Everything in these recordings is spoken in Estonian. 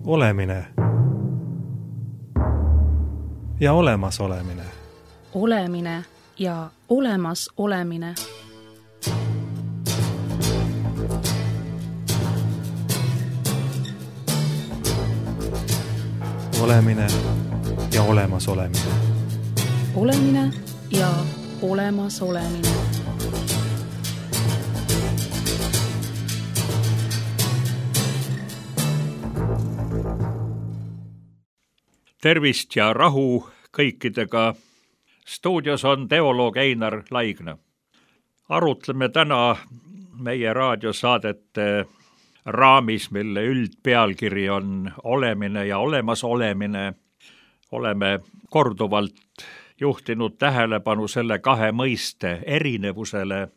Olemine ja olemasolemine. Olemine ja olemasolemine. Olemine ja olemasolemine. Olemine ja olemasolemine. Tervist ja rahu kõikidega. Stuudios on teoloog Einar Laigna. Arutleme täna meie raadiosaadete raamis, mille üldpealkiri on olemine ja olemasolemine. Oleme korduvalt juhtinud tähelepanu selle kahe mõiste erinevusele.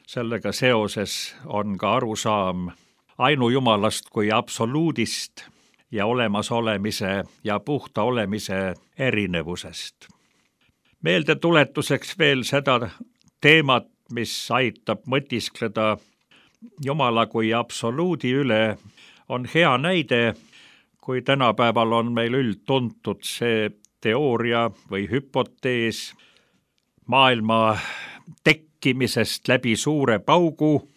Sellega seoses on ka arusaam ainujumalast kui absoluudist ja olemasolemise ja puhta olemise erinevusest. Meeldetuletuseks veel seda teemat, mis aitab mõtiskleda Jumala kui absoluudi üle, on hea näide, kui tänapäeval on meil üldtuntud see teooria või hüpotees maailma tekkimisest läbi suure paugu,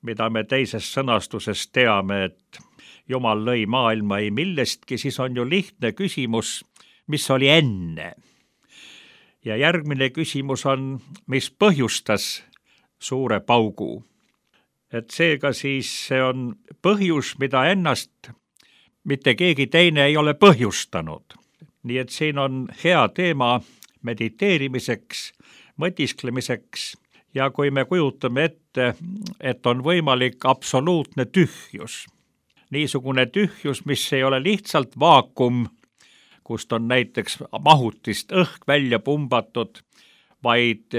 mida me teises sõnastuses teame, et Jumal lõi maailma ei millestki, siis on ju lihtne küsimus, mis oli enne. Ja järgmine küsimus on, mis põhjustas suure paugu. Et seega siis see on põhjus, mida ennast mitte keegi teine ei ole põhjustanud. Nii et siin on hea teema mediteerimiseks, mõtisklemiseks ja kui me kujutame ette, et on võimalik absoluutne tühjus, niisugune tühjus, mis ei ole lihtsalt vaakum, kust on näiteks mahutist õhk välja pumbatud, vaid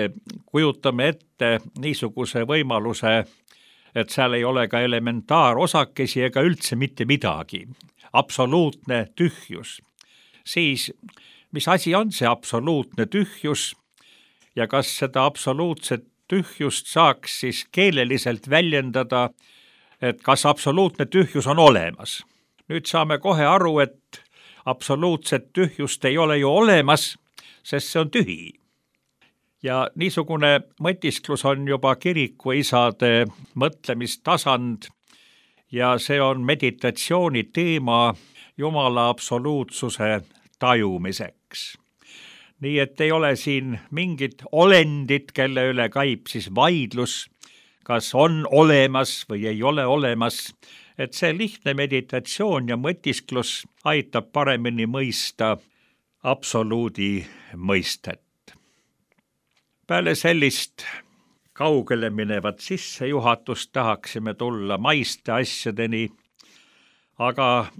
kujutame ette niisuguse võimaluse, et seal ei ole ka elementaarosakesi ega üldse mitte midagi. Absoluutne tühjus. Siis, mis asi on see absoluutne tühjus ja kas seda absoluutset tühjust saaks siis keeleliselt väljendada, et kas absoluutne tühjus on olemas. Nüüd saame kohe aru, et absoluutset tühjust ei ole ju olemas, sest see on tühi. Ja niisugune mõtisklus on juba kirikuisade mõtlemistasand ja see on meditatsiooni teema Jumala absoluutsuse tajumiseks. Nii et ei ole siin mingit olendit, kelle üle käib siis vaidlus, kas on olemas või ei ole olemas, et see lihtne meditatsioon ja mõtisklus aitab paremini mõista absoluudi mõistet. Peale sellist kaugele minevat sissejuhatust tahaksime tulla maiste asjadeni, aga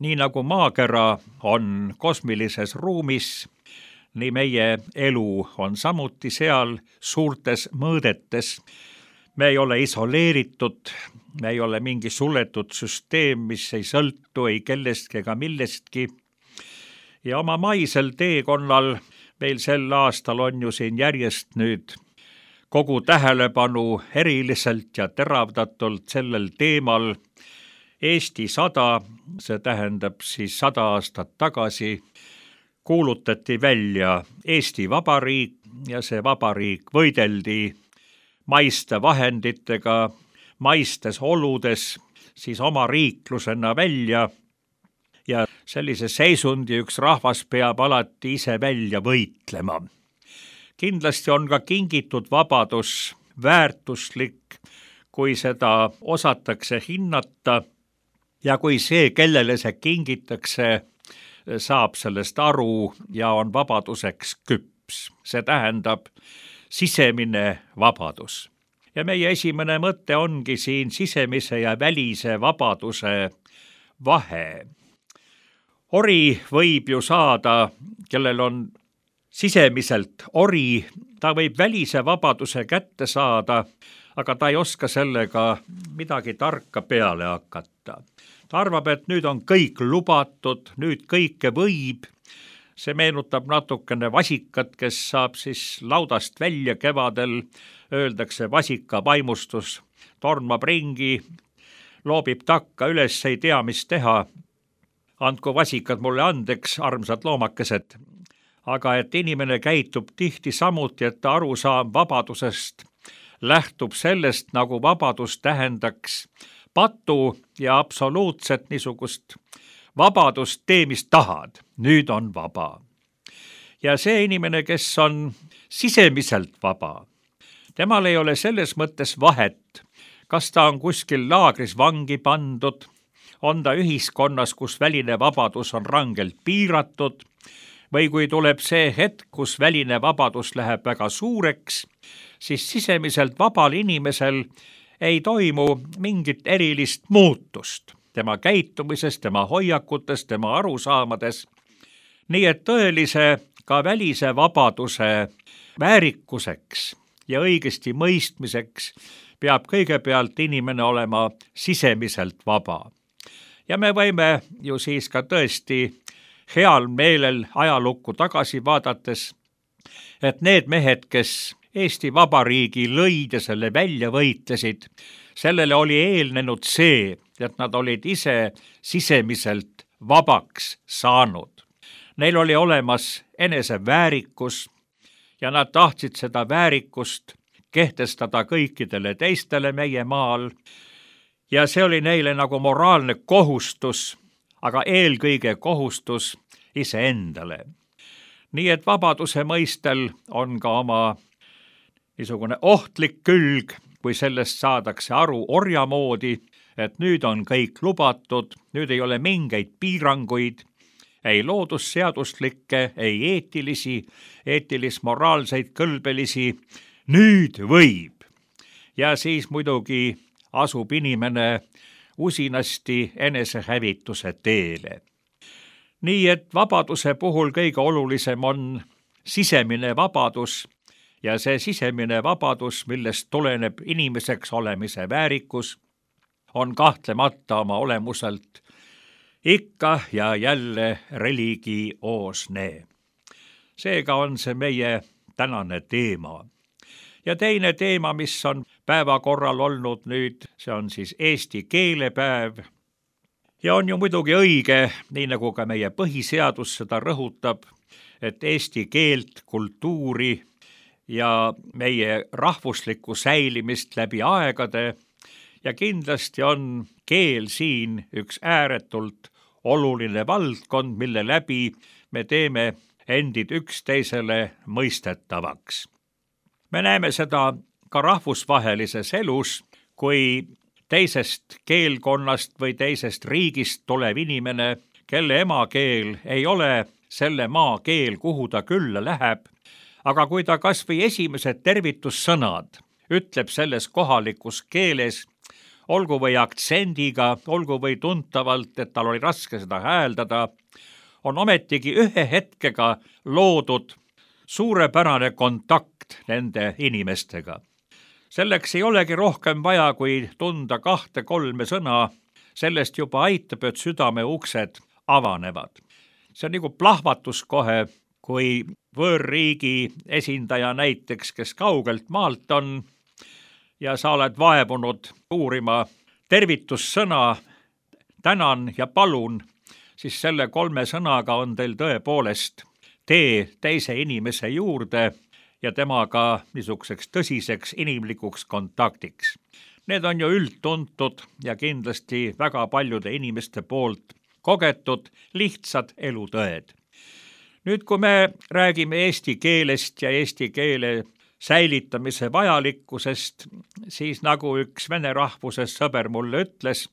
nii nagu maakera on kosmilises ruumis, nii meie elu on samuti seal suurtes mõõdetes. Me ei ole isoleeritud, me ei ole mingi suletud süsteem, mis ei sõltu ei kellestki ega millestki. Ja oma maisel teekonnal meil sel aastal on ju siin järjest nüüd kogu tähelepanu eriliselt ja teravdatult sellel teemal Eesti 100, see tähendab siis 100 aastat tagasi, kuulutati välja Eesti Vabariik ja see vabariik võideldi maiste vahenditega, maistes oludes, siis oma riiklusena välja ja sellise seisundi üks rahvas peab alati ise välja võitlema. Kindlasti on ka kingitud vabadus väärtuslik, kui seda osatakse hinnata ja kui see, kellele see kingitakse, saab sellest aru ja on vabaduseks küps. See tähendab sisemine vabadus. Ja meie esimene mõte ongi siin sisemise ja välise vabaduse vahe. Ori võib ju saada, kellel on sisemiselt ori, ta võib välise vabaduse kätte saada, aga ta ei oska sellega midagi tarka peale hakata. Ta arvab, et nüüd on kõik lubatud, nüüd kõike võib. See meenutab natukene vasikat, kes saab siis laudast välja kevadel, öeldakse vasika vaimustus, tormab ringi, loobib takka üles, ei tea, mis teha. Andku vasikad mulle andeks, armsad loomakesed. Aga et inimene käitub tihti samuti, et ta arusaam vabadusest lähtub sellest, nagu vabadus tähendaks patu ja absoluutset niisugust vabadust, tee mis tahad, nüüd on vaba. Ja see inimene, kes on sisemiselt vaba, temal ei ole selles mõttes vahet, kas ta on kuskil laagris vangi pandud, on ta ühiskonnas, kus väline vabadus on rangelt piiratud, või kui tuleb see hetk, kus väline vabadus läheb väga suureks, siis sisemiselt vabal inimesel ei toimu mingit erilist muutust tema käitumises, tema hoiakutes, tema arusaamades. Nii et tõelise ka välise vabaduse väärikuseks ja õigesti mõistmiseks peab kõigepealt inimene olema sisemiselt vaba. Ja me võime ju siis ka tõesti heal meelel ajalukku tagasi vaadates, et need mehed, kes Eesti Vabariigi lõid ja selle välja võitlesid, sellele oli eelnenud see, et nad olid ise sisemiselt vabaks saanud. Neil oli olemas eneseväärikus ja nad tahtsid seda väärikust kehtestada kõikidele teistele meie maal ja see oli neile nagu moraalne kohustus, aga eelkõige kohustus iseendale. Nii et vabaduse mõistel on ka oma niisugune ohtlik külg, kui sellest saadakse aru orja moodi, et nüüd on kõik lubatud, nüüd ei ole mingeid piiranguid, ei loodusseaduslikke, ei eetilis-moraalseid kõlbelisi, nüüd võib. Ja siis muidugi asub inimene usinasti enesehävituse teele. Nii et vabaduse puhul kõige olulisem on sisemine vabadus ja see sisemine vabadus, millest tuleneb inimeseks olemise väärikus, on kahtlemata oma olemuselt ikka ja jälle religioosne. Seega on see meie tänane teema. Ja teine teema, mis on päevakorral olnud nüüd, see on siis eesti keelepäev. Ja on ju muidugi õige, nii nagu ka meie põhiseadus seda rõhutab, et eesti keelt, kultuuri ja meie rahvuslikku säilimist läbi aegade ja kindlasti on keel siin üks ääretult oluline valdkond, mille läbi me teeme endid üksteisele mõistetavaks. Me näeme seda ka rahvusvahelises elus, kui teisest keelkonnast või teisest riigist tulev inimene, kelle emakeel ei ole selle maa keel, kuhu ta külla läheb, aga kui ta kas või esimesed tervitussõnad ütleb selles kohalikus keeles, olgu või aktsendiga, olgu või tuntavalt, et tal oli raske seda hääldada, on ometigi ühe hetkega loodud suurepärane kontakt nende inimestega. Selleks ei olegi rohkem vaja, kui tunda 2-3 sõna, sellest juba aitab, et südame uksed avanevad. See on nagu plahvatus kohe, kui võõrriigi esindaja näiteks, kes kaugelt maalt on ja sa oled vaevunud uurima tervitussõna, tänan ja palun, siis selle 3 sõnaga on teil tõepoolest tee teise inimese juurde ja temaga niisuguseks tõsiseks inimlikuks kontaktiks. Need on ju üldtuntud ja kindlasti väga paljude inimeste poolt kogetud lihtsad elutõed. Nüüd, kui me räägime eesti keelest ja eesti keele säilitamise vajalikkusest, siis nagu üks vene rahvusest sõber mulle ütles,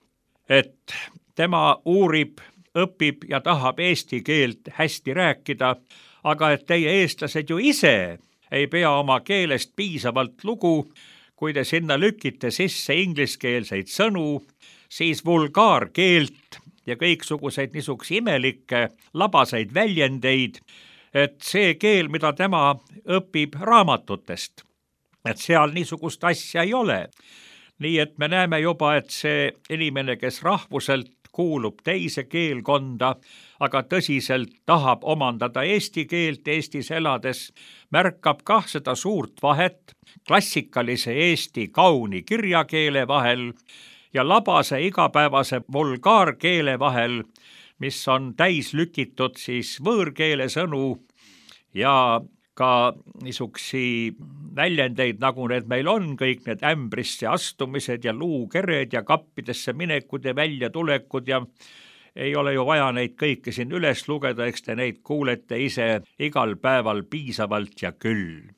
et tema uurib, õpib ja tahab eesti keelt hästi rääkida, aga et teie eestlased ju ise ei pea oma keelest piisavalt lugu, kui te sinna lükite sisse ingliskeelseid sõnu, siis vulgaarkeelt ja kõiksuguseid niisuguseid imelikke labaseid väljendeid, et see keel, mida tema õpib raamatutest, et seal niisugust asja ei ole. Nii et me näeme juba, et see inimene, kes rahvuselt kuulub teise keelkonda, aga tõsiselt tahab omandada eesti keelt Eestis elades, märkab kah seda suurt vahet klassikalise eesti kauni kirjakeele vahel ja labase igapäevase vulgaarkeele vahel, mis on täis lükitud siis võõrkeele sõnu ja ka niisugusi väljendeid, nagu need meil on, kõik need ämbrisse astumised ja luukered ja kappidesse minekud ja väljatulekud ja ei ole ju vaja neid kõiki siin üles lugeda, eks te neid kuulete ise igal päeval piisavalt ja küll.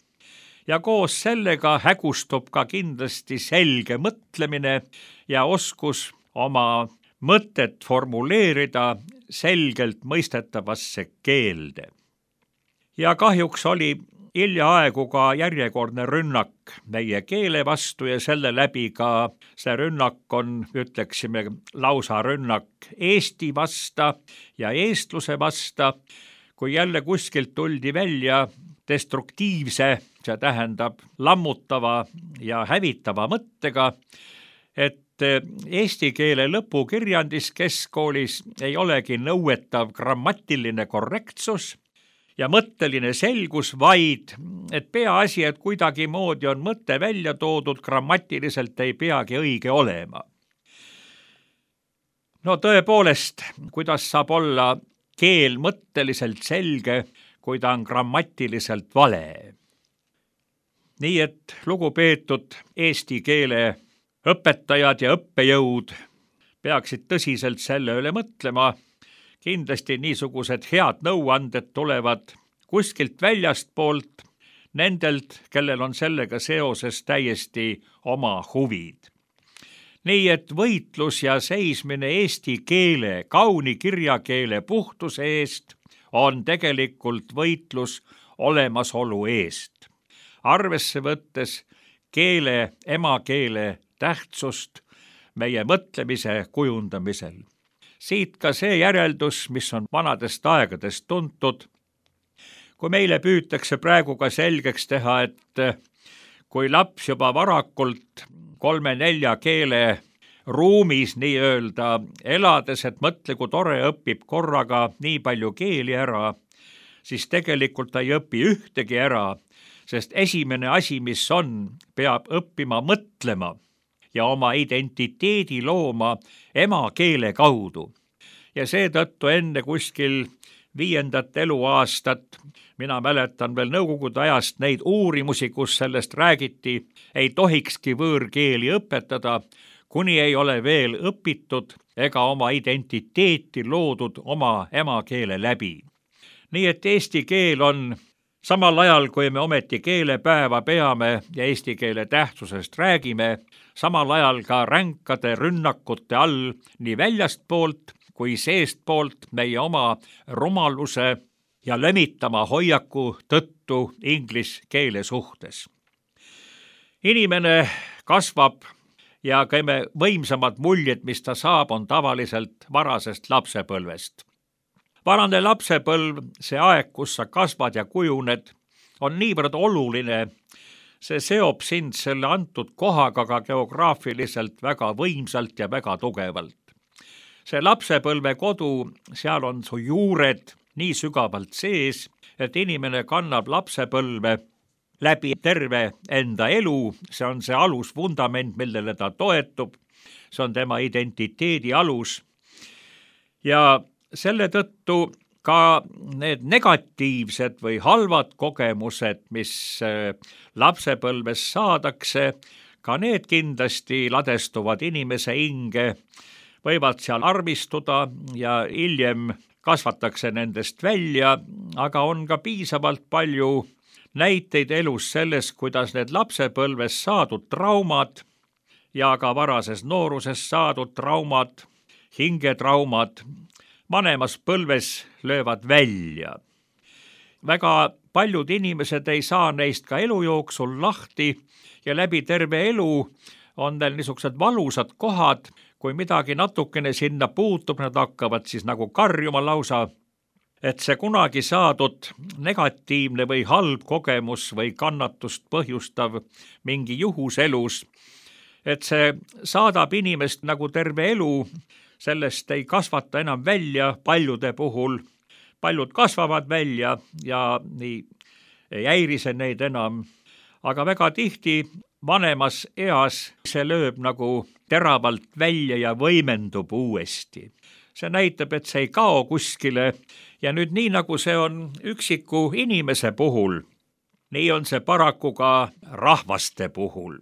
Ja koos sellega hägustub ka kindlasti selge mõtlemine ja oskus oma mõtet formuleerida selgelt mõistetavasse keelde. Ja kahjuks oli hiljaaegu ka järjekordne rünnak meie keele vastu ja selle läbi ka see rünnak on, ütleksime, lausa rünnak Eesti vasta ja eestluse vasta, kui jälle kuskilt tuldi välja destruktiivse, see tähendab lammutava ja hävitava mõttega, et eesti keele lõpukirjandis keskkoolis ei olegi nõuetav grammatiline korrektsus ja mõtteline selgus, vaid et peaasi, et kuidagimoodi on mõte välja toodud, grammatiliselt ei peagi õige olema. No tõepoolest, kuidas saab olla keel mõtteliselt selge, kui ta on grammatiliselt vale? Nii et lugupeetud eesti keele õpetajad ja õppejõud peaksid tõsiselt selle üle mõtlema. Kindlasti niisugused head nõuanded tulevad kuskilt väljastpoolt, nendelt, kellel on sellega seoses täiesti oma huvid. Nii et võitlus ja seismine eesti keele, kauni kirjakeele puhtuse eest on tegelikult võitlus olemasolu eest. Arvesse võttes keele, emakeele tähtsust meie mõtlemise kujundamisel. Siit ka see järeldus, mis on vanadest aegadest tuntud. Kui meile püütakse praegu ka selgeks teha, et kui laps juba varakult 3-4 keele ruumis nii-öelda elades, et mõtle, kui tore õpib korraga nii palju keeli ära, siis tegelikult ta ei õpi ühtegi ära, sest esimene asi, mis on, peab õppima mõtlema ja oma identiteedi looma emakeele kaudu. Ja seetõttu enne kuskil 5. eluaastat, mina mäletan veel nõukogude ajast neid uurimusi, kus sellest räägiti, ei tohikski võõrkeeli õpetada, kuni ei ole veel õpitud ega oma identiteeti loodud oma emakeele läbi. Nii et eesti keel on samal ajal, kui me ometi keelepäeva peame ja eesti keele tähtsusest räägime, samal ajal ka ränkade rünnakute all nii väljastpoolt kui seestpoolt meie oma rumaluse ja lömitama hoiaku tõttu inglise keele suhtes. Inimene kasvab ja kõige võimsamad muljed, mis ta saab, on tavaliselt varasest lapsepõlvest. Varane lapsepõlv, see aeg, kus sa kasvad ja kujuned, on niivõrd oluline, see seob sind selle antud kohaga ka geograafiliselt väga võimsalt ja väga tugevalt. See lapsepõlve kodu, seal on su juured nii sügavalt sees, et inimene kannab lapsepõlve läbi terve enda elu, see on see alusvundament, millele ta toetub, see on tema identiteedi alus. Ja selle tõttu ka need negatiivsed või halvad kogemused, mis lapsepõlves saadakse, ka need kindlasti ladestuvad inimese hinge, võivad seal armistuda ja hiljem kasvatakse nendest välja, aga on ka piisavalt palju näiteid elus selles, kuidas need lapsepõlves saadud traumad ja ka varases nooruses saadud traumad, hingetraumad, vanemas põlves löövad välja. Väga paljud inimesed ei saa neist ka elu jooksul lahti ja läbi terve elu on neil niisugused valusad kohad, kui midagi natukene sinna puutub, nad hakkavad siis nagu karjuma lausa, et see kunagi saadud negatiivne või halb kogemus või kannatust põhjustav mingi juhus elus, et see saadab inimest nagu terve elu, sellest ei kasvata enam välja paljude puhul. Paljud kasvavad välja ja nii ei häirise neid enam, aga väga tihti vanemas eas see lööb nagu teravalt välja ja võimendub uuesti. See näitab, et see ei kao kuskile ja nüüd nii, nagu see on üksiku inimese puhul, nii on see paraku ka rahvaste puhul.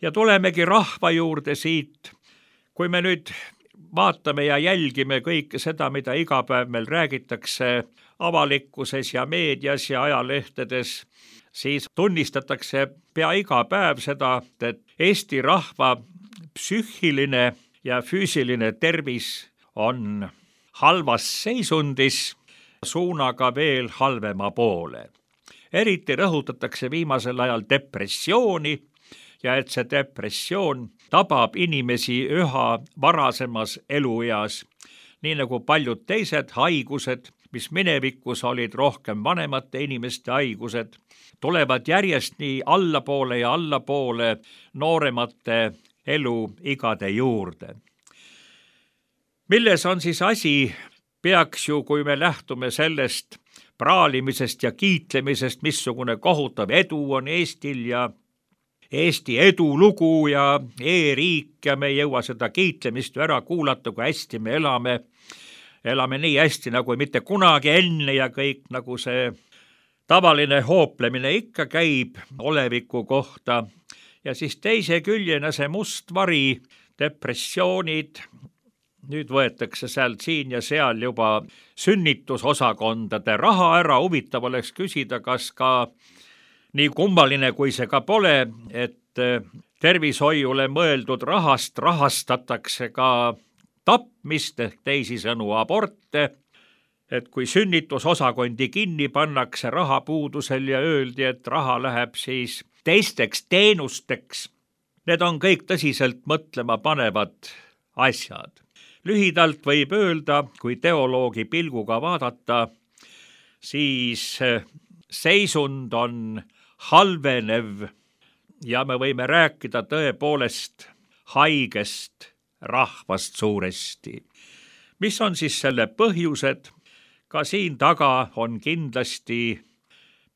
Ja tulemegi rahva juurde siit, kui me nüüd vaatame ja jälgime kõike seda, mida iga päev meil räägitakse avalikkuses ja meedias ja ajalehtedes, siis tunnistatakse pea iga päev seda, et Eesti rahva psüühiline ja füüsiline tervis on halvas seisundis, suunaga veel halvema poole. Eriti rõhutatakse viimasel ajal depressiooni, ja et see depressioon tabab inimesi üha varasemas elueas, nii nagu paljud teised haigused, mis minevikus olid rohkem vanemate inimeste haigused, tulevad järjest nii allapoole ja allapoole nooremate eluigade juurde. Milles on siis asi, peaks ju, kui me lähtume sellest praalimisest ja kiitlemisest, missugune kohutav edu on Eestil ja Eesti edulugu ja e-riik ja me ei jõua seda kiitlemist ära kuulata, kui hästi me elame. Elame nii hästi nagu mitte kunagi enne ja kõik nagu see tavaline hooplemine ikka käib oleviku kohta. Ja siis teise küljena see must vari, depressioonid, nüüd võetakse sealt siin ja seal juba sünnitusosakondade raha ära. Huvitav oleks küsida, kas ka nii kummaline, kui see ka pole, et tervishoiule mõeldud rahast rahastatakse ka tapmist, teisisõnu aborte, et kui sünnitusosakondi kinni pannakse rahapuudusel ja öeldi, et raha läheb siis teisteks teenusteks, need on kõik tõsiselt mõtlema panevad asjad. Lühidalt võib öelda, kui teoloogi pilguga vaadata, siis seisund on halvenev ja me võime rääkida tõepoolest haigest rahvast suuresti. Mis on siis selle põhjused? Ka siin taga on kindlasti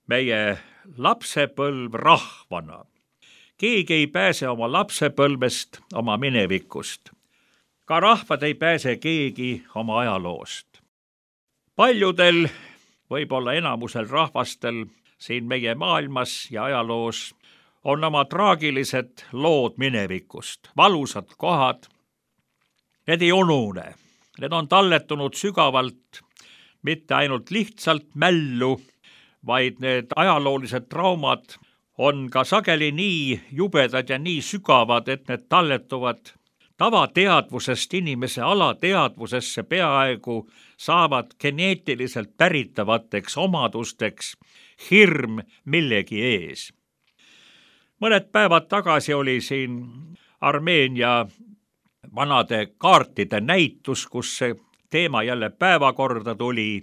meie lapsepõlv rahvana. Keegi ei pääse oma lapsepõlvest, oma minevikust. Ka rahvad ei pääse keegi oma ajaloost. Paljudel, võib-olla enamusel rahvastel siin meie maailmas ja ajaloos on oma traagilised lood minevikust, valusad kohad. Need ei unune, need on talletunud sügavalt, mitte ainult lihtsalt mällu, vaid need ajaloolised traumad on ka sageli nii jubedad ja nii sügavad, et need talletuvad tavateadvusest inimese alateadvusesse, peaaegu saavad geneetiliselt päritavateks omadusteks, hirm millegi ees. Mõned päevad tagasi oli siin Armeenia vanade kaartide näitus, kus see teema jälle päevakorda tuli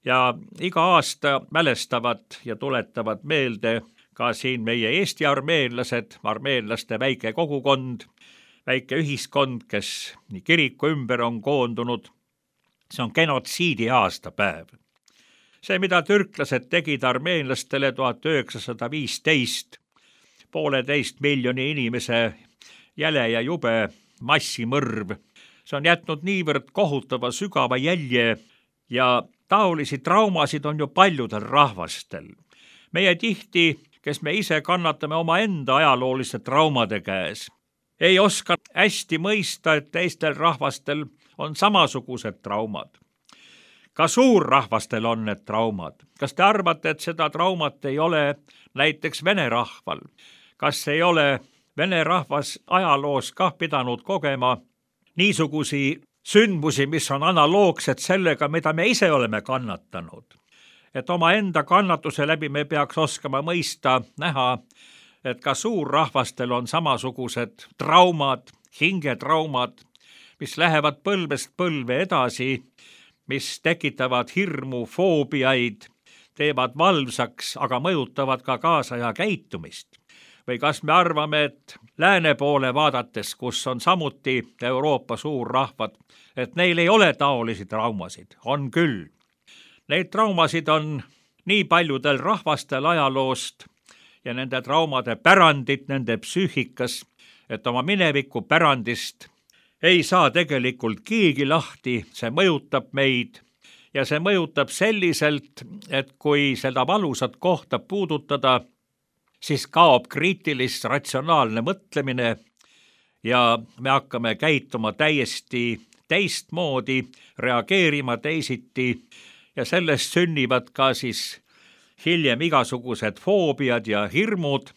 ja iga aasta mälestavad ja tuletavad meelde ka siin meie Eesti armeenlased, armeenlaste väike kogukond, väike ühiskond, kes nii kiriku ümber on koondunud. See on genotsiidi aastapäev. See, mida türklased tegid armeenlastele 1915, 1,5 miljoni inimese jäle ja jube massimõrv, see on jätnud niivõrd kohutava sügava jälje ja taolisi traumasid on ju paljudel rahvastel. Meie tihti, kes me ise kannatame omaenda ajalooliste traumade käes, ei oska hästi mõista, et teistel rahvastel on samasugused traumad. Ka suurrahvastel on need traumad. Kas te arvate, et seda traumat ei ole näiteks vene rahval? Kas ei ole vene rahvas ajaloos kah pidanud kogema niisugusi sündmusi, mis on analoogsed sellega, mida me ise oleme kannatanud? Et omaenda kannatuse läbi me peaks oskama mõista, näha, et ka suurrahvastel on samasugused traumad, hingetraumad, mis lähevad põlvest põlve edasi, mis tekitavad hirmu, foobiaid, teevad valvsaks, aga mõjutavad ka kaasaja käitumist. Või kas me arvame, et lääne poole vaadates, kus on samuti Euroopa suurrahvad, et neil ei ole taolisi traumasid? On küll. Neid traumasid on nii paljudel rahvastel ajaloost ja nende traumade pärandit nende psüühikas, et oma mineviku pärandist ei saa tegelikult keegi lahti, see mõjutab meid ja see mõjutab selliselt, et kui seda valusat kohta puudutada, siis kaob kriitilist ratsionaalne mõtlemine ja me hakkame käituma täiesti teistmoodi, reageerima teisiti ja sellest sünnivad ka siis hiljem igasugused foobiad ja hirmud,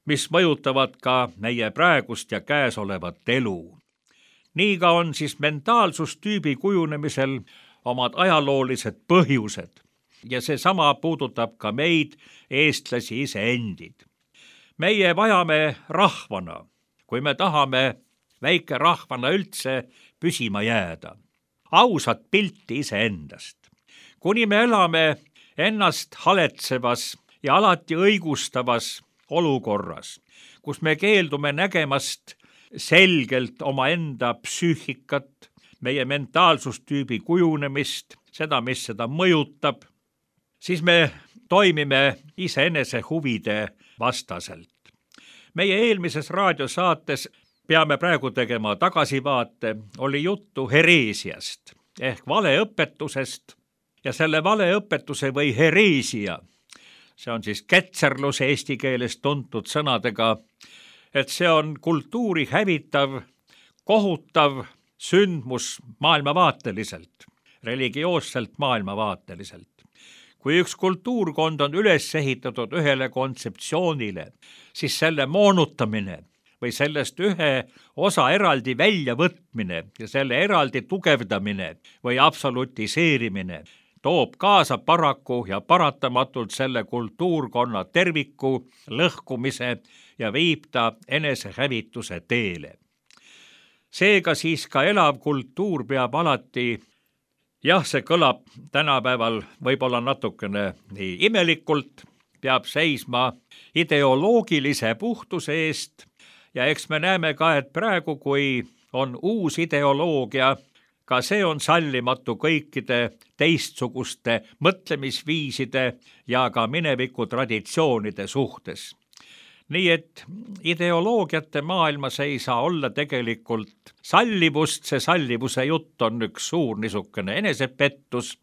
mis mõjutavad ka meie praegust ja käesolevat elu. Nii ka on siis mentaalsustüübi kujunemisel omad ajaloolised põhjused ja seesama puudutab ka meid, eestlasi iseendid. Meie vajame rahvana, kui me tahame väike rahvana üldse püsima jääda. Ausat pilti iseendast. Kuni me elame ennast haletsevas ja alati õigustavas olukorras, kus me keeldume nägemast selgelt omaenda psüühikat, meie mentaalsustüübi kujunemist, seda, mis seda mõjutab, siis me toimime iseenese huvide vastaselt. Meie eelmises raadiosaates, peame praegu tegema tagasivaate, oli juttu hereesiast ehk valeõpetusest ja selle valeõpetuse või hereesia, see on siis ketserlus eesti keeles tuntud sõnadega, et see on kultuuri hävitav, kohutav sündmus maailmavaateliselt, religioosselt maailmavaateliselt. Kui üks kultuurkond on üles ehitatud ühele kontseptsioonile, siis selle moonutamine või sellest ühe osa eraldi väljavõtmine ja selle eraldi tugevdamine või absolutiseerimine toob kaasa paraku ja paratamatult selle kultuurkonna terviku lõhkumise ja viib ta enesehävituse teele. Seega siis ka elav kultuur peab alati, jah, see kõlab tänapäeval võib-olla natukene nii imelikult, peab seisma ideoloogilise puhtuse eest ja eks me näeme ka, et praegu, kui on uus ideoloogia, ka see on sallimatu kõikide teistsuguste mõtlemisviiside ja ka mineviku traditsioonide suhtes. Nii et ideoloogiate maailmas ei saa olla tegelikult sallivust, see sallivuse jutt on üks suur niisugune enesepettus.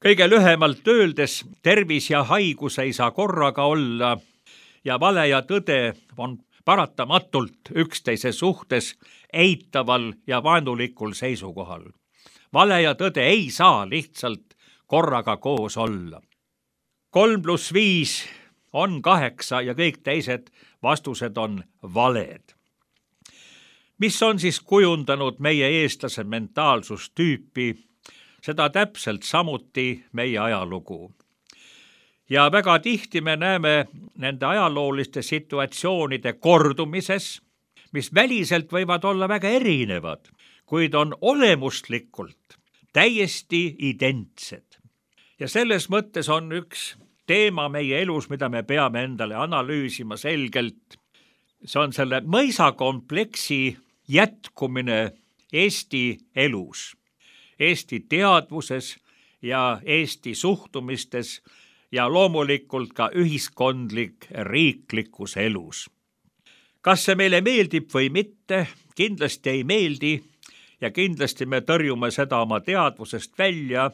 Kõige lühemalt öeldes tervis ja haigus ei saa korraga olla ja vale ja tõde on paratamatult üksteise suhtes eitaval ja vaenulikul seisukohal. Vale ja tõde ei saa lihtsalt korraga koos olla. 3+5 on 8 ja kõik teised vastused on valed. Mis on siis kujundanud meie eestlase mentaalsustüüpi, seda täpselt samuti meie ajalugu. Ja väga tihti me näeme nende ajalooliste situatsioonide kordumises, mis väliselt võivad olla väga erinevad, kuid on olemuslikult täiesti identsed. Ja selles mõttes on üks teema meie elus, mida me peame endale analüüsima selgelt. See on selle mõisakompleksi jätkumine Eesti elus, Eesti teadvuses ja Eesti suhtumistes ja loomulikult ka ühiskondlik riiklikus elus. Kas see meile meeldib või mitte, kindlasti ei meeldi ja kindlasti me tõrjume seda oma teadvusest välja.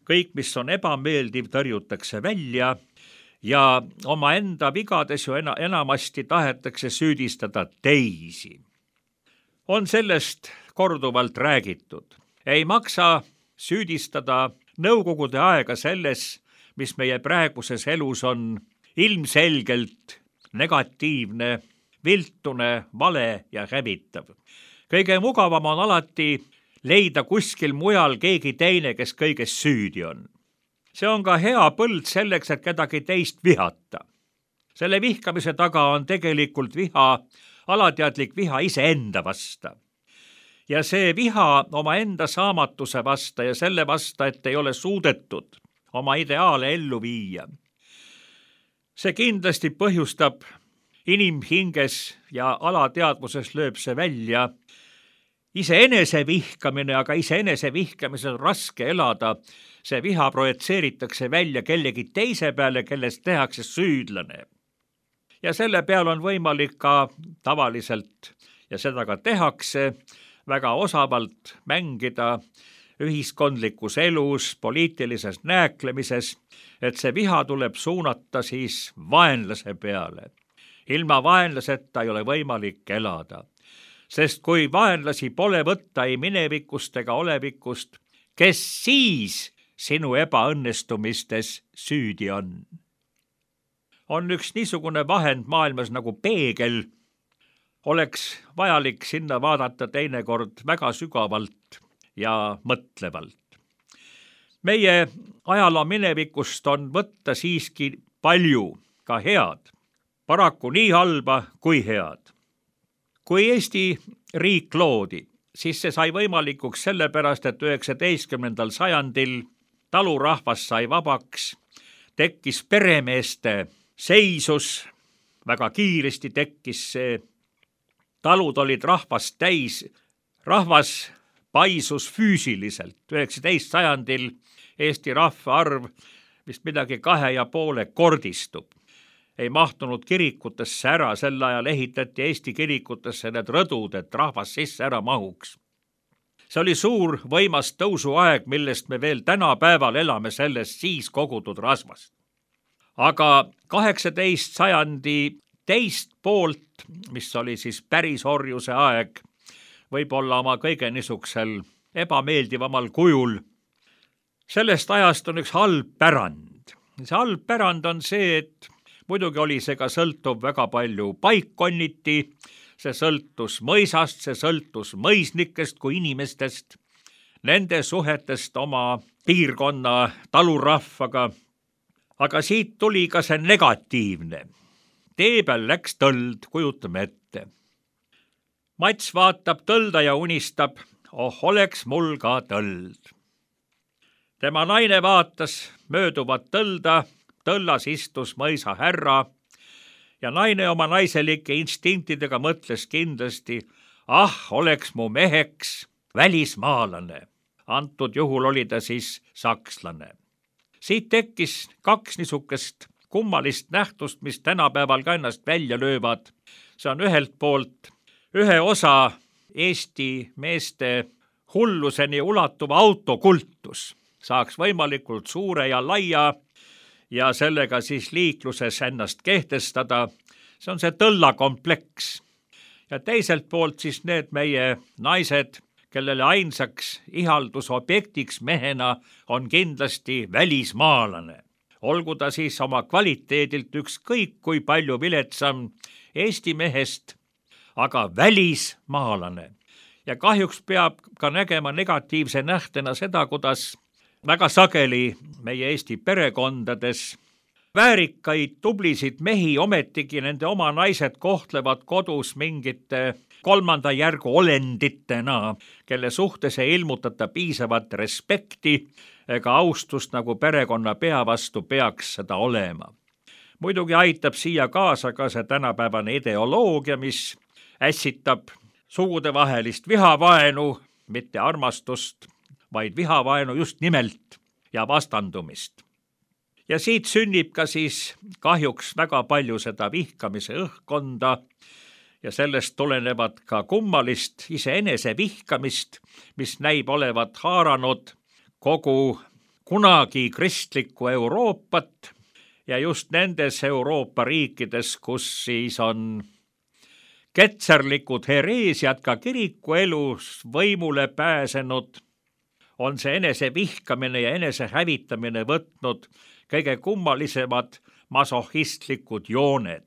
Kõik, mis on ebameeldiv, tõrjutakse välja ja omaenda vigades ju enamasti tahetakse süüdistada teisi. On sellest korduvalt räägitud. Ei maksa süüdistada nõukogude aega selles, mis meie praeguses elus on ilmselgelt negatiivne, viltune, vale ja hävitav. Kõige mugavam on alati leida kuskil mujal keegi teine, kes kõiges süüdi on. See on ka hea põld selleks, et kedagi teist vihata. Selle vihkamise taga on tegelikult viha, alateadlik viha iseenda vasta. Ja see viha omaenda saamatuse vasta ja selle vasta, et ei ole suudetud oma ideaale ellu viia. See kindlasti põhjustab inimhinges ja alateadvuses lööb see välja. Iseenese vihkamine, aga iseenese vihkamises on raske elada. See viha projitseeritakse välja kellegi teise peale, kellest tehakse süüdlane. Ja selle peal on võimalik ka tavaliselt, ja seda ka tehakse, väga osavalt mängida ühiskondlikus elus, poliitilises nääklemises, et see viha tuleb suunata siis vaenlase peale. Ilma vaenlaseta ei ole võimalik elada. Sest kui vaenlasi pole võtta ei minevikust ega olevikust, kes siis sinu ebaõnnestumistes süüdi on? On üks niisugune vahend maailmas nagu peegel. Oleks vajalik sinna vaadata teinekord väga sügavalt ja mõtlevalt. Meie ajaloo minevikust on võtta siiski palju ka head, paraku nii halba kui head. Kui Eesti riik loodi, siis see sai võimalikuks sellepärast, et 19. sajandil talurahvas sai vabaks, tekkis peremeeste seisus, väga kiiresti tekkis see, talud olid rahvast täis, rahvas paisus füüsiliselt. 19. sajandil Eesti rahvaarv vist midagi 2,5 kordistub. Ei mahtunud kirikutesse ära, sel ajal ehitati Eesti kirikutesse need rõdud, et rahvas sisse ära mahuks. See oli suur võimas tõusuaeg, millest me veel tänapäeval elame sellest siis kogutud rasvast. Aga 18. sajandi teist poolt, mis oli siis päris orjuse aeg, võib-olla oma kõige niisugusel ebameeldivamal kujul, sellest ajast on üks halb pärand. See halb pärand on see, et muidugi oli see ka sõltuv väga palju paikkonniti, see sõltus mõisast, see sõltus mõisnikest kui inimestest, nende suhetest oma piirkonna talurahvaga, aga siit tuli ka see negatiivne. Tee peal läks tõld, kujutame ette. Mats vaatab tõlda ja unistab, oleks mul ka tõld. Tema naine vaatas mööduvat tõlda, tõllas istus mõisa härra ja naine oma naiselike instinktidega mõtles kindlasti, oleks mu meheks välismaalane. Antud juhul oli ta siis sakslane. Siit tekkis kaks niisugust kummalist nähtust, mis tänapäeval ka ennast välja löövad. See on ühelt poolt ühe osa Eesti meeste hulluseni ulatuva autokultus. Saaks võimalikult suure ja laia ja sellega siis liikluses ennast kehtestada. See on see tõllakompleks. Ja teiselt poolt siis need meie naised, kellele ainsaks ihaldusobjektiks mehena on kindlasti välismaalane. Olgu ta siis oma kvaliteedilt ükskõik kui palju viletsam Eesti mehest, aga välismaalane. Ja kahjuks peab ka nägema negatiivse nähtena seda, kuidas väga sageli meie Eesti perekondades väärikaid, tublisid mehi, ometigi nende oma naised kohtlevad kodus mingite kolmanda järgu olenditena, kelle suhtes ei ilmutata piisavat respekti ega austust, nagu perekonnapea vastu peaks seda olema. Muidugi aitab siia kaasa ka see tänapäevane ideoloogia, mis ässitab sugudevahelist vihavaenu, mitte armastust, vaid vihavaenu just nimelt ja vastandumist. Ja siit sünnib ka siis kahjuks väga palju seda vihkamise õhkkonda ja sellest tulenevad ka kummalist iseenese vihkamist, mis näib olevat haaranud kogu kunagi kristlikku Euroopat ja just nendes Euroopa riikides, kus siis on ketserlikud hereesiad ka kirikuelus võimule pääsenud, on see enese vihkamine ja enese hävitamine võtnud kõige kummalisemad masohhistlikud jooned.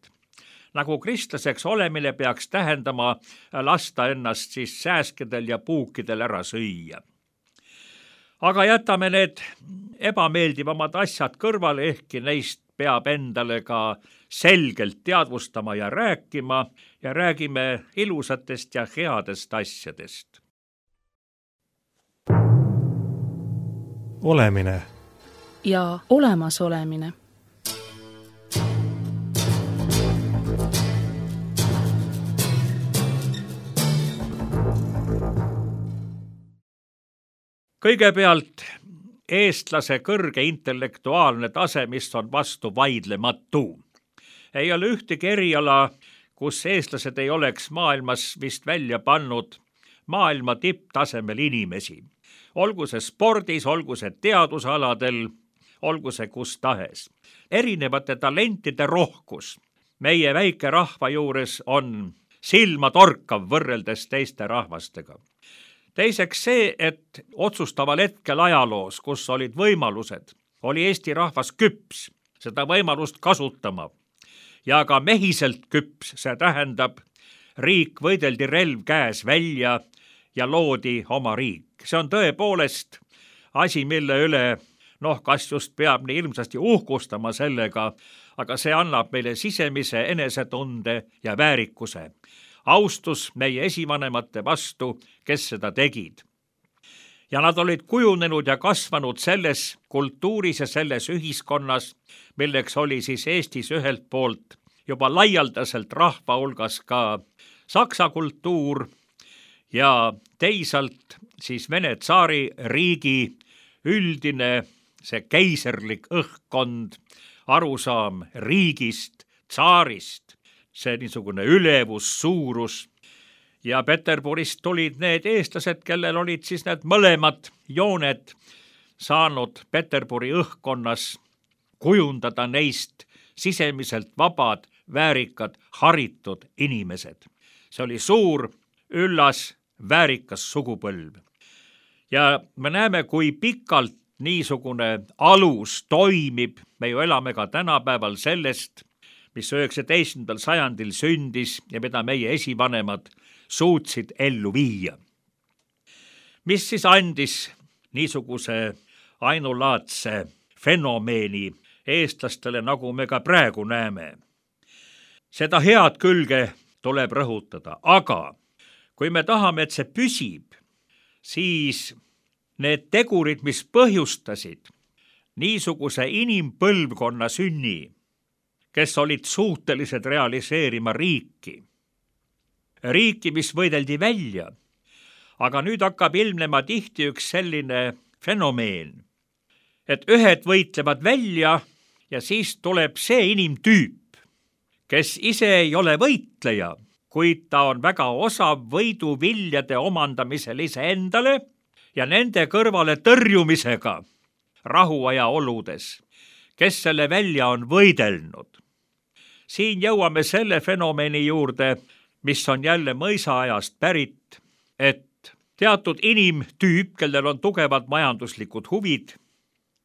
Nagu kristlaseks olemine peaks tähendama lasta ennast siis sääskedel ja puukidel ära süüa. Aga jätame need ebameeldivamad asjad kõrvale, ehkki neist peab endale ka selgelt teadvustama ja räägime ilusatest ja headest asjadest. Olemine ja olemasolemine. Kõigepealt eestlase kõrge intellektuaalne tase, mis on vastu vaidlematu. Ei ole ühtegi eriala, kus eestlased ei oleks maailmas vist välja pannud maailma tipptasemel inimesi. Olgu see spordis, olgu see teadusaladel, olgu see kus tahes. Erinevate talentide rohkus meie väike rahva juures on silmatorkav võrreldes teiste rahvastega. Teiseks see, et otsustaval hetkel ajaloos, kus olid võimalused, oli Eesti rahvas küps seda võimalust kasutama ja ka mehiselt küps, see tähendab, riik võideldi relv käes välja ja loodi oma riik. See on tõepoolest asi, mille üle, kas just peab nii ilmsasti uhkustama sellega, aga see annab meile sisemise enesetunde ja väärikuse. Austus meie esivanemate vastu, kes seda tegid. Ja nad olid kujunenud ja kasvanud selles kultuuris ja selles ühiskonnas, milleks oli siis Eestis ühelt poolt juba laialdaselt rahva hulgas ka saksa kultuur ja teisalt siis Vene tsaari riigi üldine see keiserlik õhkkond, arusaam riigist, tsaarist, see niisugune ülevus, suurus ja Peterburist tulid need eestlased, kellel olid siis need mõlemad jooned saanud Peterburi õhkkonnas kujundada neist sisemiselt vabad, väärikad, haritud inimesed. See oli suur, üllas, väärikas sugupõlv. Ja me näeme, kui pikalt niisugune alus toimib, me ju elame ka tänapäeval sellest, mis 19. sajandil sündis ja mida meie esivanemad suutsid ellu viia. Mis siis andis niisuguse ainulaadse fenomeeni eestlastele, nagu me ka praegu näeme? Seda head külge tuleb rõhutada, aga kui me tahame, et see püsib, siis need tegurid, mis põhjustasid niisuguse inimpõlvkonna sünni, kes olid suutelised realiseerima riiki, mis võideldi välja. Aga nüüd hakkab ilmnema tihti üks selline fenomeen, et ühed võitlevad välja ja siis tuleb see inimtüüp, kes ise ei ole võitleja, kuid ta on väga osav võiduviljade omandamisel iseendale ja nende kõrvale tõrjumisega rahuaja oludes, kes selle välja on võidelnud. Siin jõuame selle fenomeni juurde, mis on jälle mõisaajast pärit, et teatud inimtüüp, kellel on tugevad majanduslikud huvid,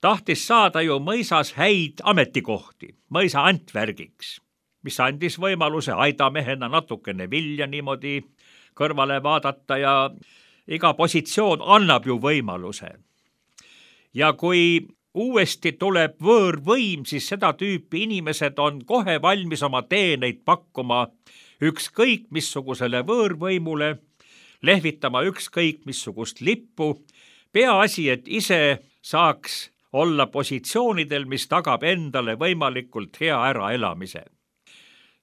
tahtis saada ju mõisas häid ametikohti, mõisa antvärgiks, mis andis võimaluse aidamehena natukene vilja niimoodi kõrvale vaadata ja iga positsioon annab ju võimaluse. Ja kui uuesti tuleb võõrvõim, siis seda tüüpi inimesed on kohe valmis oma teeneid pakkuma ükskõik missugusele võõrvõimule, lehvitama ükskõik missugust lippu, peaasi, et ise saaks olla positsioonidel, mis tagab endale võimalikult hea äraelamise.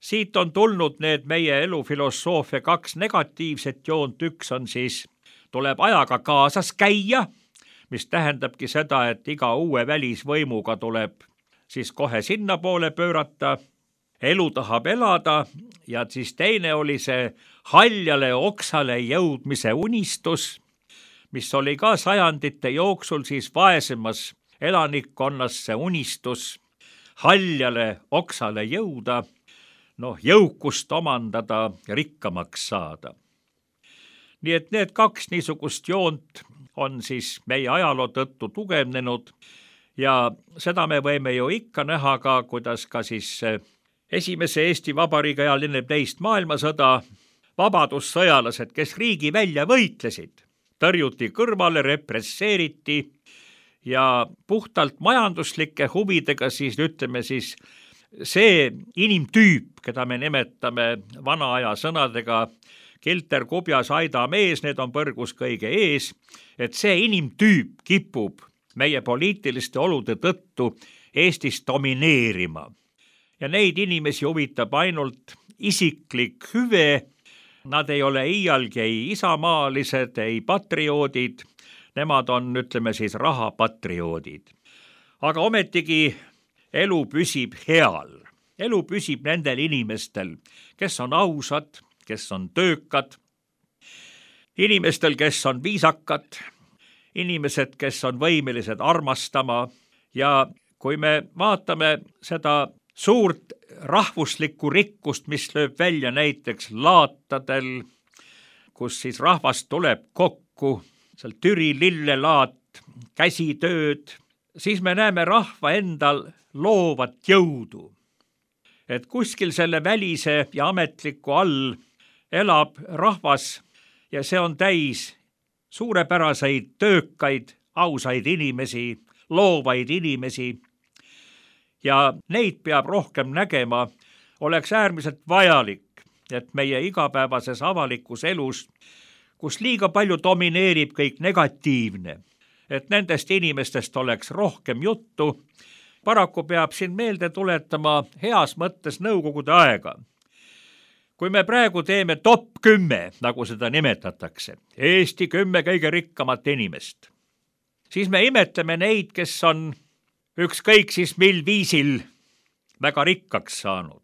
Siit on tulnud need meie elufilosoofia 2 negatiivset joont, üks on siis, tuleb ajaga kaasas käia, mis tähendabki seda, et iga uue välisvõimuga tuleb siis kohe sinna poole pöörata, elu tahab elada ja siis teine oli see haljale oksale jõudmise unistus, mis oli ka sajandite jooksul siis vaesemas elanikkonnas see unistus haljale oksale jõuda, jõukust omandada, rikkamaks saada. Nii et need 2 niisugust joont on siis meie ajaloo tõttu tugevnenud ja seda me võime ju ikka näha ka, kuidas ka siis esimese Eesti Vabariigi ajal enne teist maailmasõda vabadussõjalased, kes riigi välja võitlesid, tõrjuti kõrvale, represseeriti ja puhtalt majanduslike huvidega siis ütleme siis see inimtüüp, keda me nimetame vana aja sõnadega kilter, kubjas, aida mees, need on põrgus kõige ees, et see inimtüüp kipub meie poliitiliste olude tõttu Eestis domineerima. Ja neid inimesi huvitab ainult isiklik hüve, nad ei ole iialgi ei isamaalised, ei patrioodid, nemad on, ütleme siis, rahapatrioodid. Aga ometigi elu püsib heal. Elu püsib nendel inimestel, kes on ausad, kes on töökad, inimestel, kes on viisakad, inimesed, kes on võimelised armastama ja kui me vaatame seda suurt rahvuslikku rikkust, mis lööb välja näiteks laatadel, kus siis rahvas tuleb kokku, seal Türi lillelaat, käsitööd, siis me näeme rahva endal loovat jõudu. Et kuskil selle välise ja ametliku all elab rahvas ja see on täis suurepäraseid, töökaid, ausaid inimesi, loovaid inimesi ja neid peab rohkem nägema, oleks äärmiselt vajalik, et meie igapäevases avalikus elus, kus liiga palju domineerib kõik negatiivne, et nendest inimestest oleks rohkem juttu. Paraku peab siin meelde tuletama heas mõttes nõukogude aega. Kui me praegu teeme top 10, nagu seda nimetatakse, Eesti 10 kõige rikkamat inimest, siis me imetleme neid, kes on ükskõik siis mil viisil väga rikkaks saanud.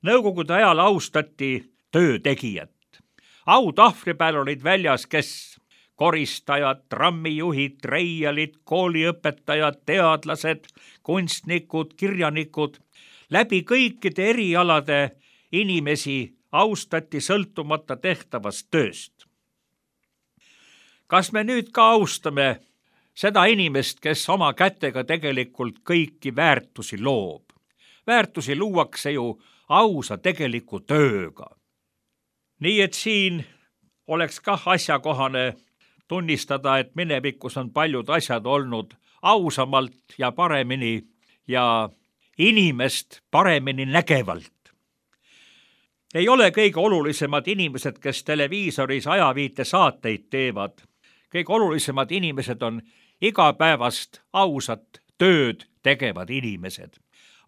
Nõukogude ajal austati töötegijat. Autahvli peal olid väljas, kes koristajad, trammijuhid, reialid, kooliõpetajad, teadlased, kunstnikud, kirjanikud. Läbi kõikide erialade inimesi austati sõltumata tehtavast tööst. Kas me nüüd ka austame seda inimest, kes oma kätega tegelikult kõiki väärtusi loob? Väärtusi luuakse ju ausa tegeliku tööga. Nii et siin oleks kah asjakohane tunnistada, et minevikus on paljud asjad olnud ausamalt ja paremini ja inimest paremini nägevalt. Ei ole kõige olulisemad inimesed, kes televiisoris ajaviite saateid teevad. Kõige olulisemad inimesed on igapäevast ausat tööd tegevad inimesed.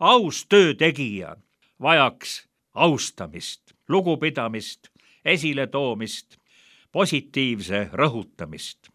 Aus töötegija vajaks austamist, lugupidamist, esiletoomist, positiivse rõhutamist.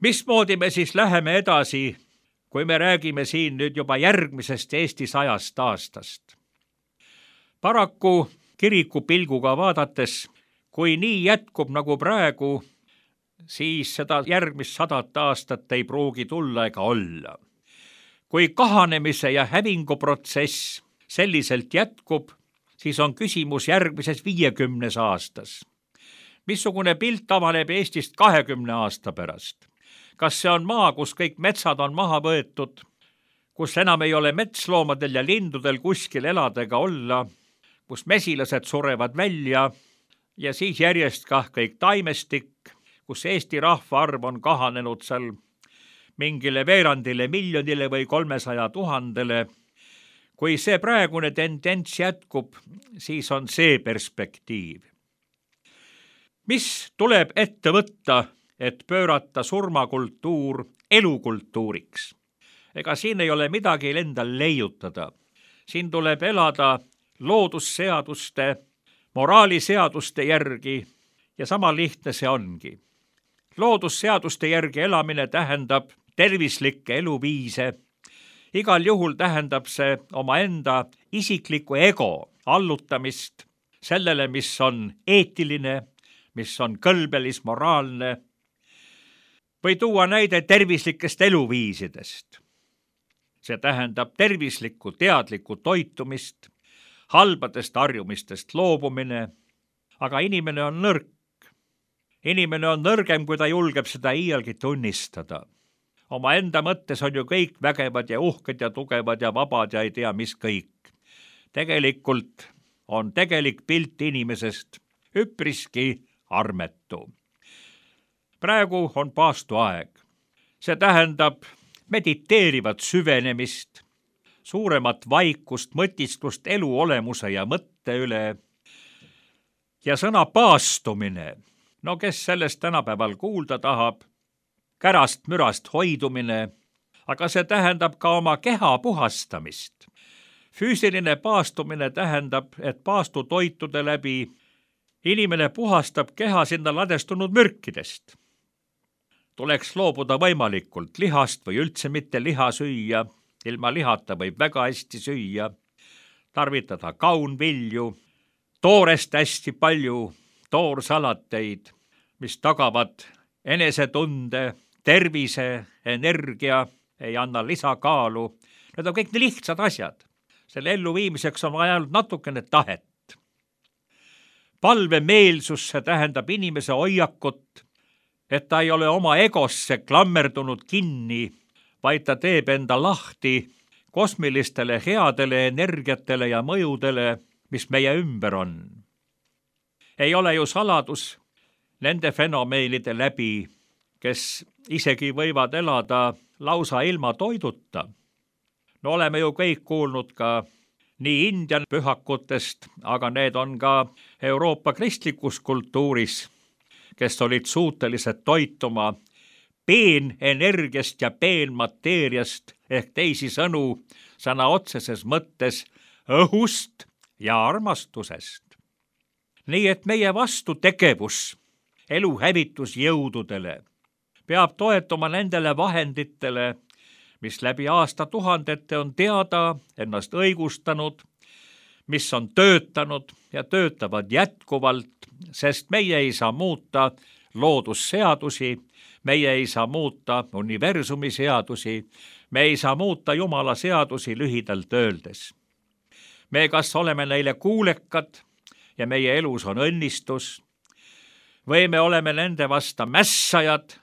Mismoodi me siis läheme edasi, kui me räägime siin nüüd juba järgmisest Eesti 100 aastast? Paraku kiriku pilguga vaadates, kui nii jätkub nagu praegu, siis seda järgmist 100 aastat ei pruugi tulla ega olla. Kui kahanemise ja hävinguprotsess selliselt jätkub, siis on küsimus järgmises 50 aastas. Missugune pilt avaneb Eestist 20 aasta pärast? Kas see on maa, kus kõik metsad on maha võetud, kus enam ei ole metsloomadel ja lindudel kuskil elada ega olla, kus mesilased surevad välja ja siis järjest kah kõik taimestik, kus Eesti rahvaarv on kahanenud seal mingile veerandile miljonile või 300 000-le. Kui see praegune tendents jätkub, siis on see perspektiiv. Mis tuleb ette võtta, et pöörata surmakultuur elukultuuriks? Ega siin ei ole midagi endal leiutada. Siin tuleb elada loodusseaduste, moraaliseaduste järgi ja sama lihtne see ongi. Loodusseaduste järgi elamine tähendab tervislikke eluviise. Igal juhul tähendab see omaenda isikliku ego allutamist sellele, mis on eetiline, mis on kõlbelis, moraalne. Või tuua näide tervislikest eluviisidest. See tähendab tervislikku, teadlikku toitumist, halbadest harjumistest loobumine, aga inimene on nõrk. Inimene on nõrgem, kui ta julgeb seda iialgi tunnistada. Oma enda mõttes on ju kõik vägevad ja uhked ja tugevad ja vabad ja ei tea mis kõik. Tegelikult on tegelik pilt inimesest üpriski armetu. Praegu on paastuaeg. See tähendab mediteerivat süvenemist, suuremat vaikust, mõtisklust elu olemuse ja mõtte üle. Ja sõna paastumine, no kes sellest tänapäeval kuulda tahab, kärast mürast hoidumine, aga see tähendab ka oma keha puhastamist. Füüsiline paastumine tähendab, et paastutoitude läbi inimene puhastab keha sinna ladestunud mürkidest. Tuleks loobuda võimalikult lihast või üldse mitte liha süüa, ilma lihata võib väga hästi süüa, tarvitada kaunvilju, toorest hästi palju, toorsalateid, mis tagavad enesetunde, tervise, energia, ei anna lisakaalu. Need on kõik nii lihtsad asjad. Selle elluviimiseks on vaja natukene tahet. Palvemeelsus, see tähendab inimese hoiakut, et ta ei ole oma egosse klammerdunud kinni, vaid ta teeb enda lahti kosmilistele headele energiatele ja mõjudele, mis meie ümber on. Ei ole ju saladus nende fenomeenide läbi, kes isegi võivad elada lausa ilma toiduta. No oleme ju kõik kuulnud ka nii India pühakutest, aga need on ka Euroopa kristlikus kultuuris, kes olid suutelised toituma peenenergiast ja peenmateeriast ehk teisisõnu sõna otseses mõttes õhust ja armastusest. Nii et meie vastutegevus elu hävitusjõududele peab toetuma nendele vahenditele, mis läbi aastatuhandete on teada, ennast õigustanud, mis on töötanud ja töötavad jätkuvalt, sest meie ei saa muuta loodusseadusi, meie ei saa muuta universumi seadusi, me ei saa muuta Jumala seadusi lühidalt öeldes. Me kas oleme neile kuulekad ja meie elus on õnnistus, või me oleme nende vasta mässajad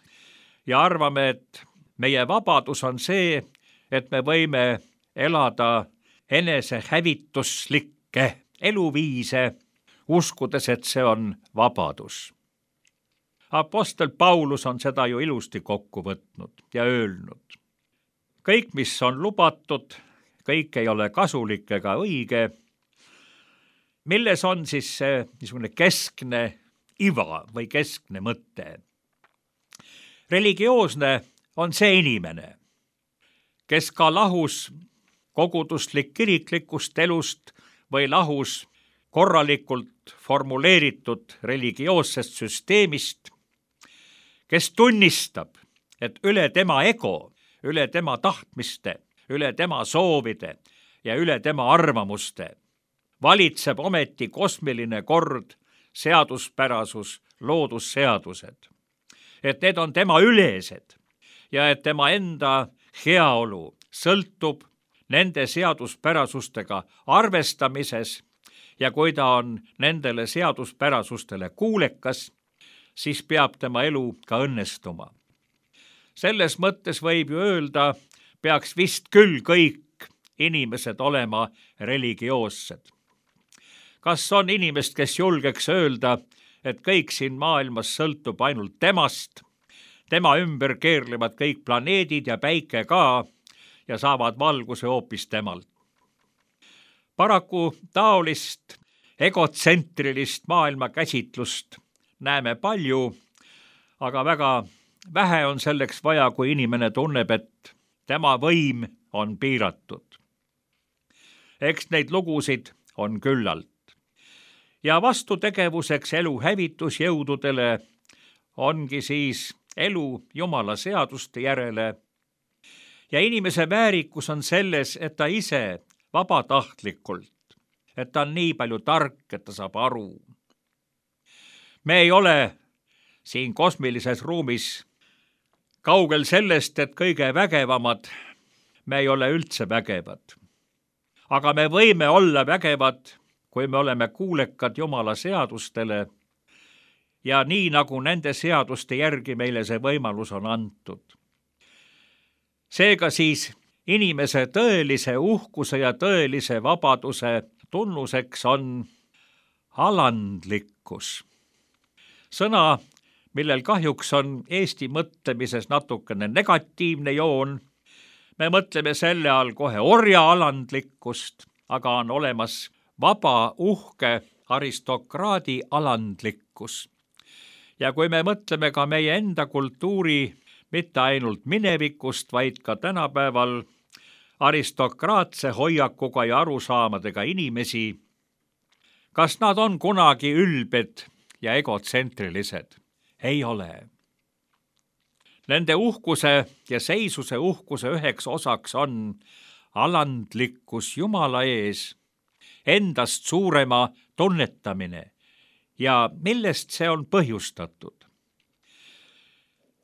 ja arvame, et meie vabadus on see, et me võime elada enesehävituslikke eluviise, uskudes, et see on vabadus. Apostel Paulus on seda ju ilusti kokku võtnud ja öelnud. Kõik, mis on lubatud, kõik ei ole kasulik ega õige. Milles on siis see niisugune keskne iva või keskne mõte? Religioosne on see inimene, kes ka lahus koguduslik kiriklikust elust või lahus korralikult formuleeritud religioossest süsteemist, kes tunnistab, et üle tema ego, üle tema tahtmiste, üle tema soovide ja üle tema arvamuste valitseb ometi kosmiline kord, seaduspärasus, loodusseadused. Et need on tema ülesed ja et tema enda heaolu sõltub nende seaduspärasustega arvestamises ja kui ta on nendele seaduspärasustele kuulekas, siis peab tema elu ka õnnestuma. Selles mõttes võib ju öelda, peaks vist küll kõik inimesed olema religioossed. Kas on inimest, kes julgeks öelda, et kõik siin maailmas sõltub ainult temast, tema ümber keerlevad kõik planeedid ja päike ka ja saavad valguse hoopis temalt? Paraku taolist egotsentrilist maailmakäsitlust näeme palju, aga väga vähe on selleks vaja, kui inimene tunneb, et tema võim on piiratud. Eks neid lugusid on küllalt. Ja vastutegevuseks elu hävitusjõududele ongi siis elu Jumala seaduste järele. Ja inimese väärikus on selles, et ta ise vabatahtlikult, et ta on nii palju tark, et ta saab aru. Me ei ole siin kosmilises ruumis kaugel sellest, et kõige vägevamad, me ei ole üldse vägevad. Aga me võime olla vägevad, kui me oleme kuulekad Jumala seadustele ja nii nagu nende seaduste järgi meile see võimalus on antud. Seega siis inimese tõelise uhkuse ja tõelise vabaduse tunnuseks on alandlikkus. Sõna, millel kahjuks on Eesti mõtlemises natukene negatiivne joon. Me mõtleme selle all kohe orja alandlikkust, aga on olemas vaba, uhke aristokraadi alandlikkus. Ja kui me mõtleme ka meie enda kultuuri mitte ainult minevikust, vaid ka tänapäeval aristokraatse hoiakuga ja arusaamadega inimesi, kas nad on kunagi ülbed ja egotsentrilised? Ei ole. Nende uhkuse ja seisuse uhkuse üheks osaks on alandlikkus Jumala ees, endast suurema tunnetamine ja millest see on põhjustatud.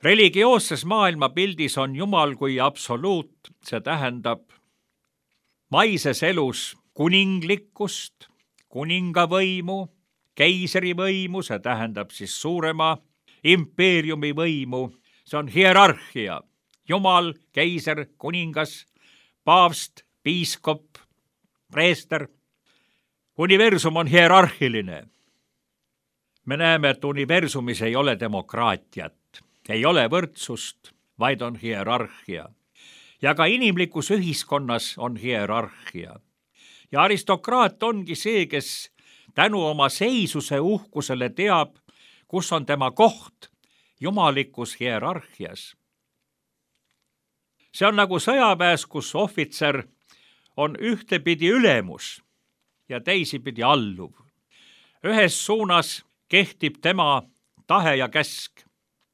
Religioosses maailmapildis on Jumal kui absoluut, see tähendab maises elus kuninglikkust, kuningavõimu, keisrivõimu, see tähendab siis suurema impeeriumi võimu, see on hierarhia, Jumal, keiser, kuningas, paavst, piiskop, preester. Universum on hierarhiline. Me näeme, et universumis ei ole demokraatiat, ei ole võrdsust, vaid on hierarhia. Ja ka inimlikus ühiskonnas on hierarhia. Ja aristokraat ongi see, kes tänu oma seisuse uhkusele teab, kus on tema koht jumalikus hierarhias. See on nagu sõjaväes, kus ohvitser on ühtepidi ülemus ja teisipidi alluv. Ühes suunas kehtib tema tahe ja käsk.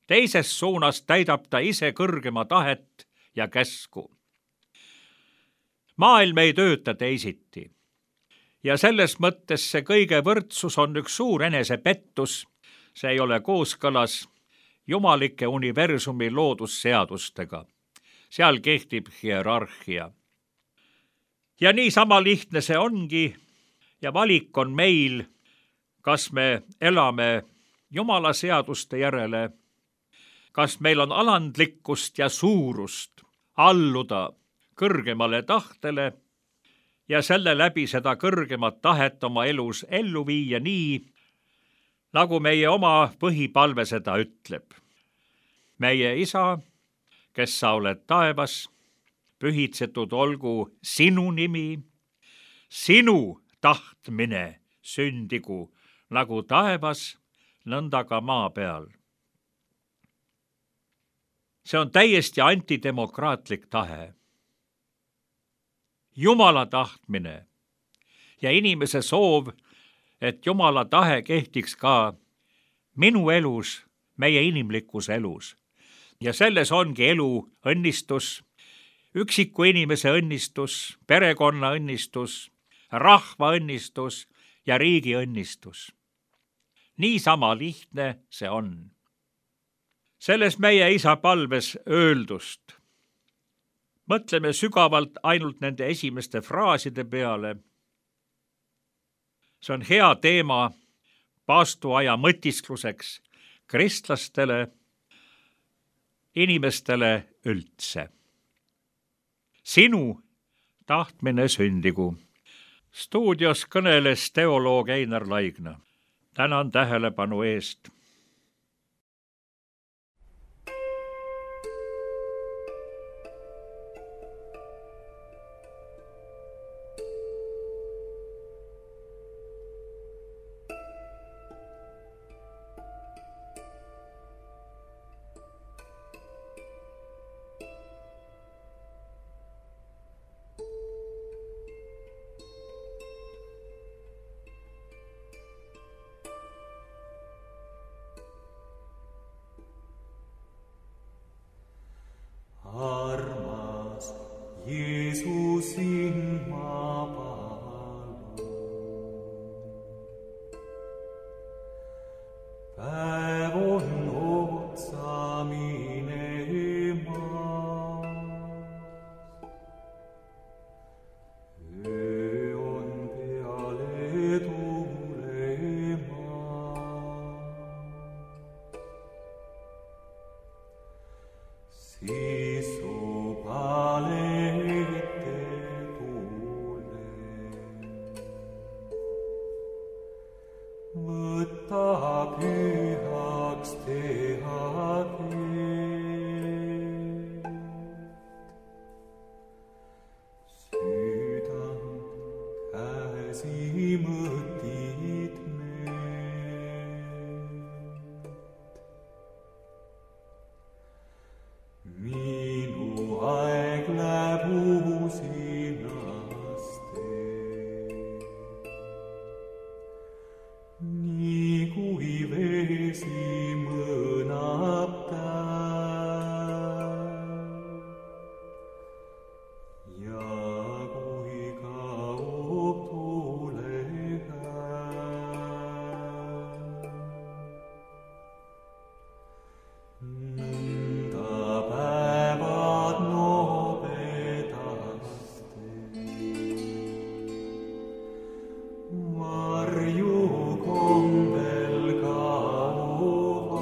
Teises suunas täidab ta ise kõrgema tahet ja käsku. Maailm ei tööta teisiti. Ja selles mõttes see kõige võrdsus on üks suur enesepettus. See ei ole kooskõlas jumalike universumi loodusseadustega. Seal kehtib hierarhia. Ja nii sama lihtne see ongi ja valik on meil, kas me elame Jumala seaduste järele, kas meil on alandlikkust ja suurust alluda kõrgemale tahtele ja selle läbi seda kõrgemat tahet oma elus ellu viia nii, nagu meie oma põhipalve seda ütleb. Meie Isa, kes sa oled taevas, pühitsetud olgu sinu nimi, sinu tahtmine sündigu nagu taevas, nõnda ka maa peal. See on täiesti antidemokraatlik tahe. Jumala tahtmine ja inimese soov, et Jumala tahe kehtiks ka minu elus, meie inimlikus elus. ja selles ongi elu õnnistus, üksiku inimese õnnistus, perekonna õnnistus, rahva õnnistus ja riigi õnnistus. Niisama lihtne see on. Selles meie isa palves öeldust mõtleme sügavalt ainult nende esimeste fraaside peale. See on hea teema paastuaja mõtiskluseks kristlastele, inimestele üldse. Sinu tahtmine sündigu. Stuudios kõneles teoloog Einar Laigna. Tänan tähelepanu eest. Armas Jeesus sind ma palun. Päev on otsa minemas. Öö on peale tulemas. Sisu palete tule. Võta pühaks teha teed. Südant käsi mõtid need. Minu aeg läheb uusinaste. Nii kui vesi mõnab täis ja kui kaob tule käes. Nõnda päevad nobedaste varju kombel kaovad.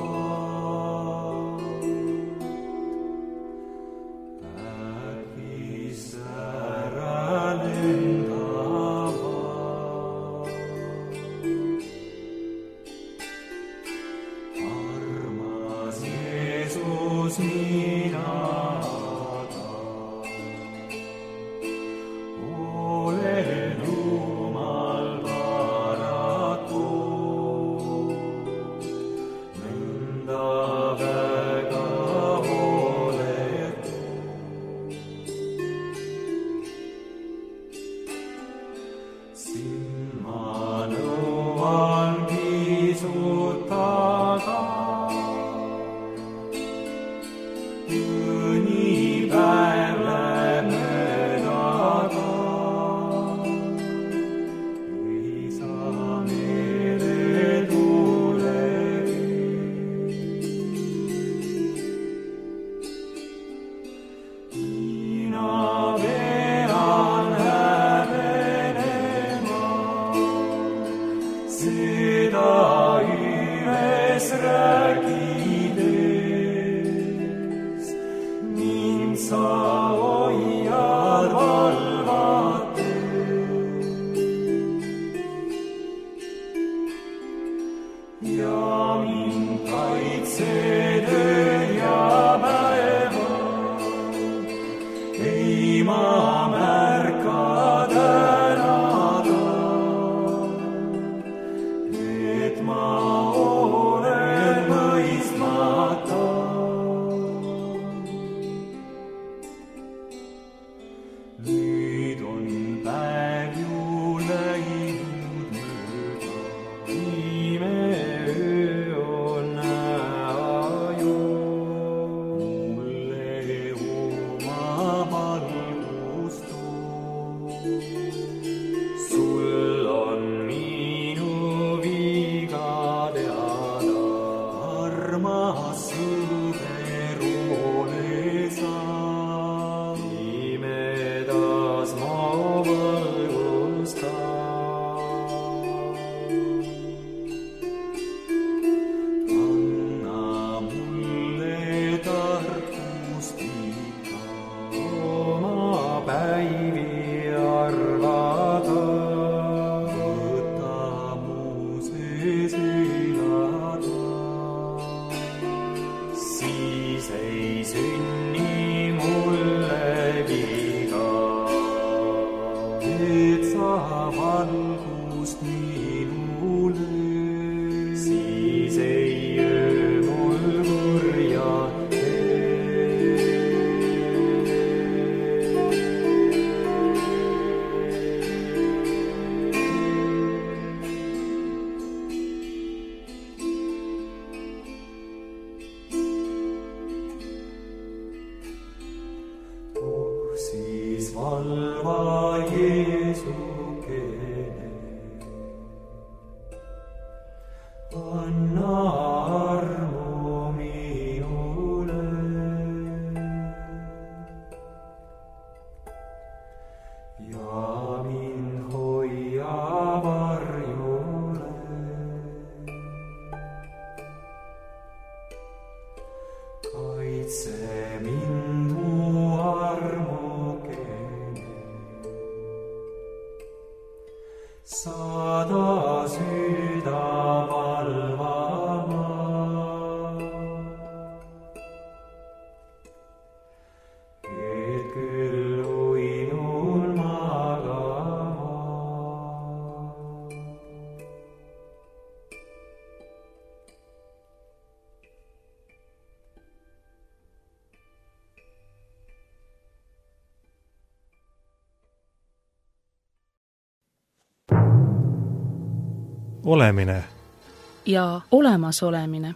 Äkis ära lendavad. Armas Jeesus, mina olen Jumal paraku. Nõnda väga oletu. sul on minu viga teada, armas sõber ole sa. Pimedas ma valgusta. Anna mulle tarkust ikka oma päivi arvata. Võta mu sees elada, siis ei sünni mulle viga. Et sa valgust minule, siis ei öö mul kurja tee. Siis valva Jeesukene, anna armu minule. Ja mind hoia varjule. Kaitse mind mu armukene, saada süüda valvama. Et küll uinul magama. Olemine ja olemasolemine.